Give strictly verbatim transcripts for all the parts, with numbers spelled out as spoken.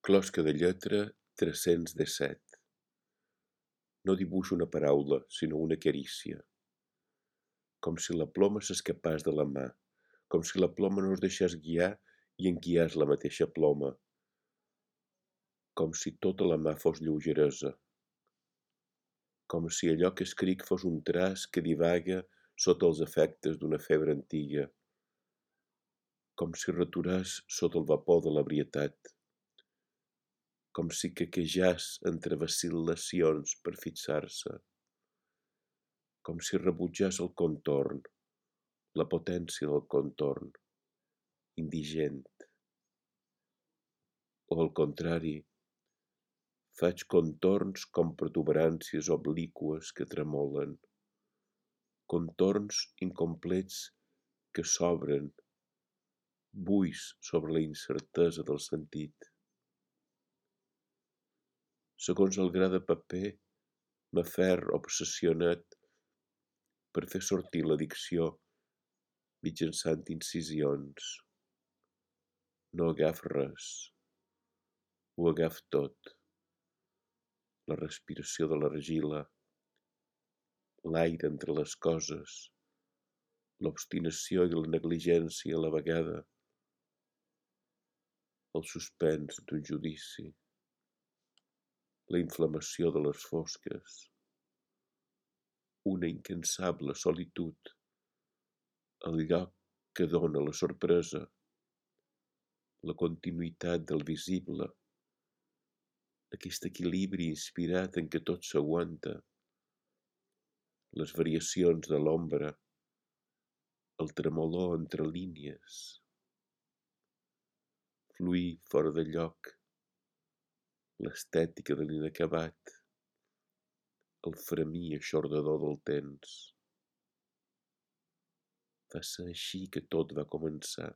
Closca de lletra tres-cents disset. No dibuixo una paraula, sinó una carícia. Com si la ploma s'escapàs de la mà, com si la ploma no es deixés guiar i en guiàs la mateixa ploma, com si tota la mà fos lleugeresa, com si allò que escric fos un traç que divaga sota els efectes d'una febre antiga, com si returàs sota el vapor de l'ebrietat, com si quequejàs entre vacil·lacions per fixar-se, com si rebutjàs el contorn, la potència del contorn, indigent. O al contrari, faig contorns com protuberàncies obliqües que tremolen, contorns incomplets que s'obren, buits sobre la incertesa del sentit. Segons el gra de paper, m'aferro obsessionat per fer sortir la dicció mitjançant incisions. No agaf res, ho agaf tot. La respiració de l'argila, l'aire entre les coses, l'obstinació i la negligència a la vegada, el suspens d'un judici, la inflamació de les fosques, una incansable solitud, el lloc que dóna la sorpresa, la continuïtat del visible, aquest equilibri inspirat en què tot s'aguanta, les variacions de l'ombra, el tremolor entre línies, fluir fora de lloc, l'estètica de l'inacabat, el fremir eixordador del temps. Va ser així que tot va començar.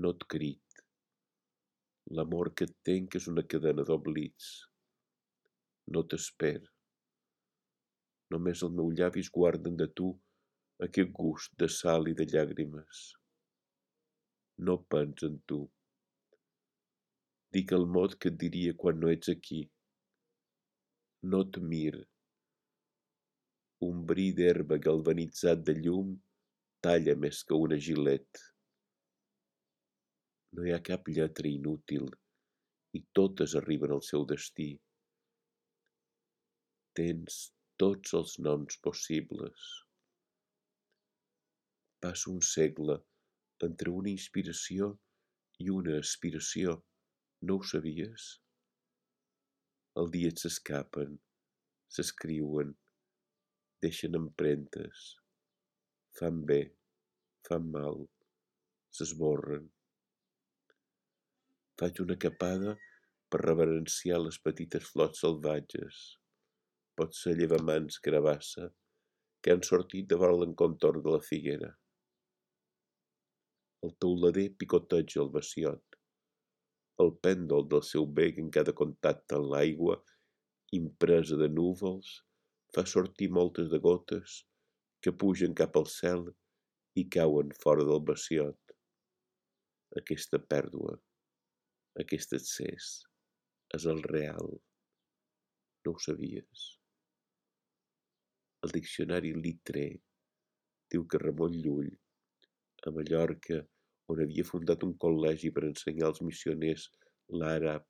No et crit. L'amor que et tenc és una cadena d'oblits. No t'esper. Només els meus llavis guarden de tu aquest gust de sal i de llàgrimes. No pens en tu. Dic el mot que et diria quan no ets aquí. No et mir. Un bri d'herba galvanitzat de llum talla més que una gilet. No hi ha cap lletra inútil i totes arriben al seu destí. Tens tots els noms possibles. Passo un segle entre una inspiració i una aspiració. No ho sabies? El dia s'escapen, s'escriuen, deixen empremtes, fan bé, fan mal, s'esborren. Faig una capada per reverenciar les petites flors salvatges, potser llevamans carabassa, que han sortit de vora l'encontorn de la figuera. El teulader picoteja el baciot. El pèndol del seu bec en cada contacte amb l'aigua, impresa de núvols, fa sortir moltes de gotes que pugen cap al cel i cauen fora del baciot. Aquesta pèrdua, aquest excés, és el real. No ho sabies? El diccionari Litré diu que Ramon Llull, a Mallorca, on havia fundat un col·legi per ensenyar als missioners l'àrab,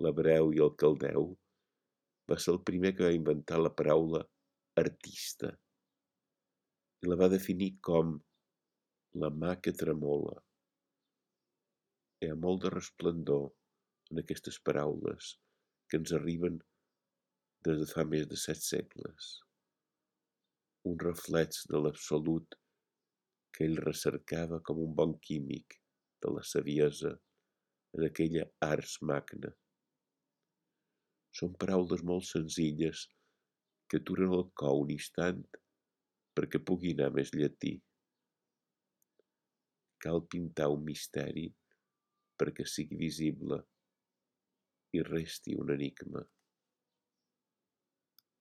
l'hebreu i el caldeu, va ser el primer que va inventar la paraula artista i la va definir com la mà que tremola. Hi ha molt de resplendor en aquestes paraules que ens arriben des de fa més de set segles. Un reflex de l'absolut que ell recercava com un bon químic de la saviesa en aquella ars magna. Són paraules molt senzilles que aturen el cor un instant perquè pugui anar més llatí. Cal pintar un misteri perquè sigui visible i resti un enigma.